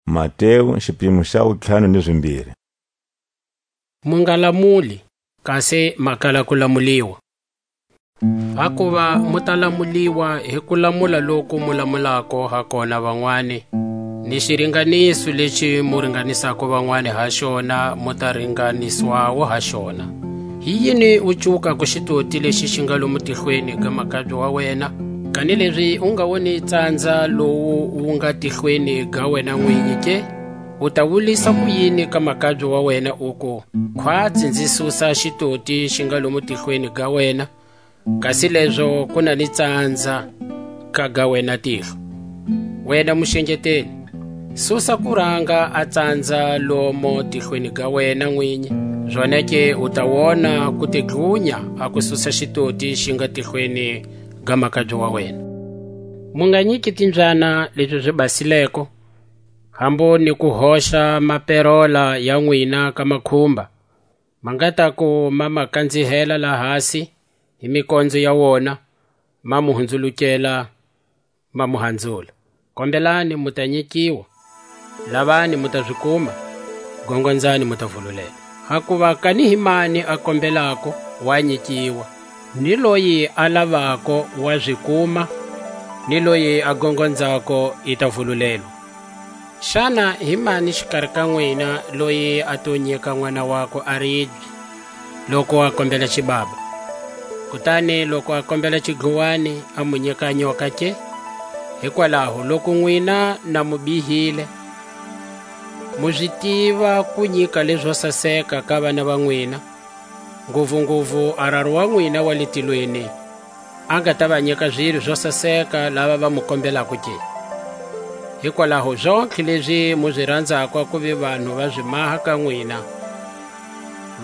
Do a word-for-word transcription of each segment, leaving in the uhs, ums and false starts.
Mateu, xipimo xa wutlhanu ni zimbiri. Mu nga lamuli, kasi ma kala ku lamuliwa. Hakuva mu ta lamuliwa hi ku lamula loku mu lamulako ha kona vanwani, ni xiringaniso lexi mu ringanisako vanwani ha xona, mu ta ringaniswawo ha xona. Hi yini u cuwukako xitoti lexi xi nga lomu tihlweni ga makabye wa wena, kanilezi u nga woni tsandza lowu wu nga tihlweni ga wena nwinyi ke? U ta wulisa ku yini ka makabye wa wena, uku: Khwatsi nzi susa xitoti xi nga lomu tihlweni ga wena, kasi lezo ku na ni tsandza ka ga wena tihlo? Wena muxengeteli, susa kuranga a tsandza lomo tihlweni ga wena nwinyi, zonake u ta wona ku te dlunya a ku susa xitoti xi nga tihlweni ga makabye wa wena. Mu nga nyiki timbyana lezi zi basileko, hambu ni ku hoxa maperola ya nwina ka makhumba, ma nga ta ku ma ma kanzihela la hasi hi mikondzo ya wona, ma mu hundzulukela, ma mu hanzula. Kombelani, mu ta nyikiwa; lavani, mu ta zi kuma; gongonzani, mu ta vululelwa. Hakuva kani hi mani a kombelako, wa nyikiwa; ni loyi a lavako, wa zi kuma; ni loyi a gongonzako, i ta vululelwa. Xana hi mani xikari ka nwina loyi a to nyika n'wana wakwe a ribye, loku a kombela xibaba? Kutani loku a kombela xidluwani, a mu nyika nyoka ke? Hikwalaho loku nwina na mu bihile, mu zi tiva ku nyika lezo saseka ka vana va nwina, nguvunguvu a Raru wa nwina wa le tilweni, a nga ta va nyika zilo zo saseka lava va mu kombelako ke? Hikwalaho zontlhe lezi mu zi ranzako a kuva vanhu va zi maha ka nwina,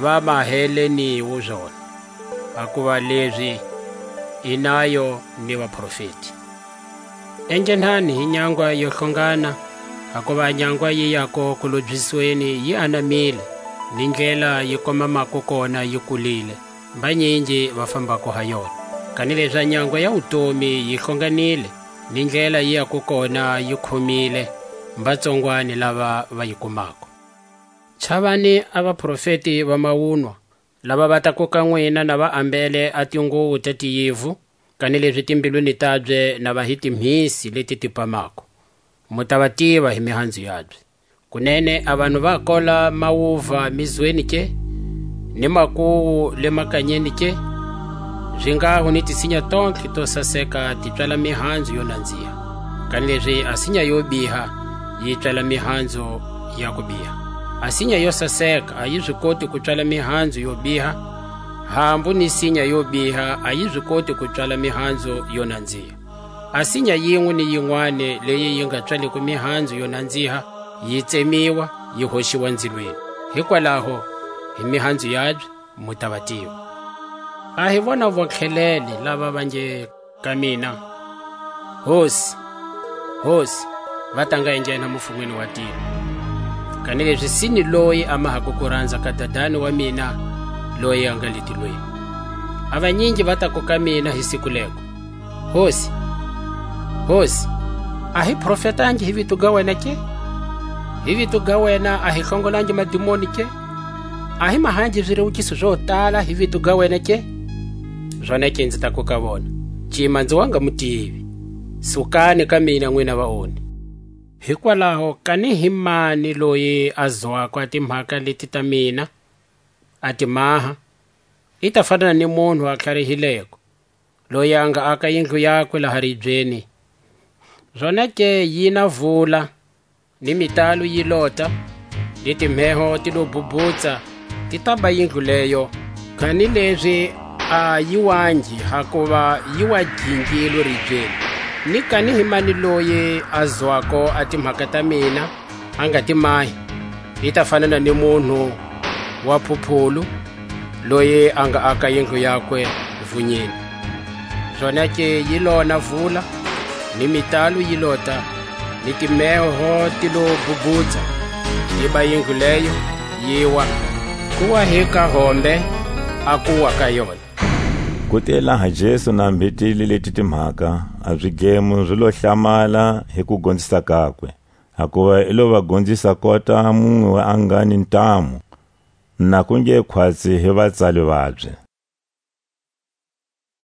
va maheleniwu zona, hakuva lezi i nayo ni vaprofeti. Enghenani hi nyangwa yo hlongana, hakuva a nyangwa yi yako kulobyisweni yi anamile, ni ndlela yi komamako kona yi kulile, mbanyingi va fambako ha yona. Kanilezi a nyangwa ya wutomi yi hlonganile, ni ndlela yi yako kona yi khumile, mbatsongwani lava va yi kumako. Chavani a vaprofeti va mawunwa, lava va ta kuka nwina na va ambele a tinguwo ta tiyivu, kanilezi timbilwini tabye na va hi timhisi leti ti pamako. Mu ta va tiva hi mihanzu yabye. Kunene a vanhu va kola mawuva mizweni ke, ni makuwu le makanyeni ke? Zingaho ni tisinya tontlhe to saseka ti pswala mihanzu yo nanziha, kanilezi a sinya yo biha yi pswala mihanzu ya ku biha. A sinya yo saseka a yi zi koti ku pswala mihanzu yo biha, hambu ni sinya yo biha a yi zi koti ku pswala mihanzu yo nanziha. A sinya yinwe ni yinwani leyi yi nga pswaleko mihanzu yo nanziha, yi tsemiwa, yi hoxiwa nzilweni. Hikwalaho, hi mihanzu yabye mu ta va tiva. A hi vona vontlhelele lava va nge ka mina: Hosi, Hosi, va ta nga enghena mufunweni wa tilo, kanilezi si ni loyi a mahako kuranza ka Dadani wa mina, loyi a nga le tilweni. A vanyingi va tako ka mina hi siku lego: Hosi, Hosi, a hi profetangi hi vito ga wena ke? Hi vito ga wena a hi hlongolangi madimoni ke? A hi mahangi zirewukiso zo tala hi vito ga wena ke? Zonake nzi taku ka vona: Cima nzi wa nga mu tivi. Sukani ka mina, nwina vaoni. Hikwalaho kani hi mani loyi a zwako a timhaka leti ta mina, a ti maha, i ta fanana ni munhu a tlharihileko, loyi a nga aka yindlu yakwe laha ribyeni. Zonake yi na vula, ni mitalo yi lota, ni timheho ti lo bubutsa, ti taba yindlu leyo, kanilezi a yi wangi, hakuva yi wa gingilwe ribyeni. Ni kani hi mani loyi a zwako a timhaka ta mina, a nga ti mahi, i ta fanana ni munhu wa phuphulu, loyi a nga aka yindlu yakwe vunyini. Zonake yi lona vula, ni mitalo yi lota, ni timheho ti lo bubutsa, yi ba yindlu leyo, yi wa. Ku wa hi ka hombe a kuwa ka yona. Ku te laha Jesu na mbhetile leti timhaka, a zigemo zi lo hlamala hi kugonzisa kakwe. hakuva i lo va gonzisa kota munwe a nga ni ntamu, na ku nge khwatsi hi vatsali vabye.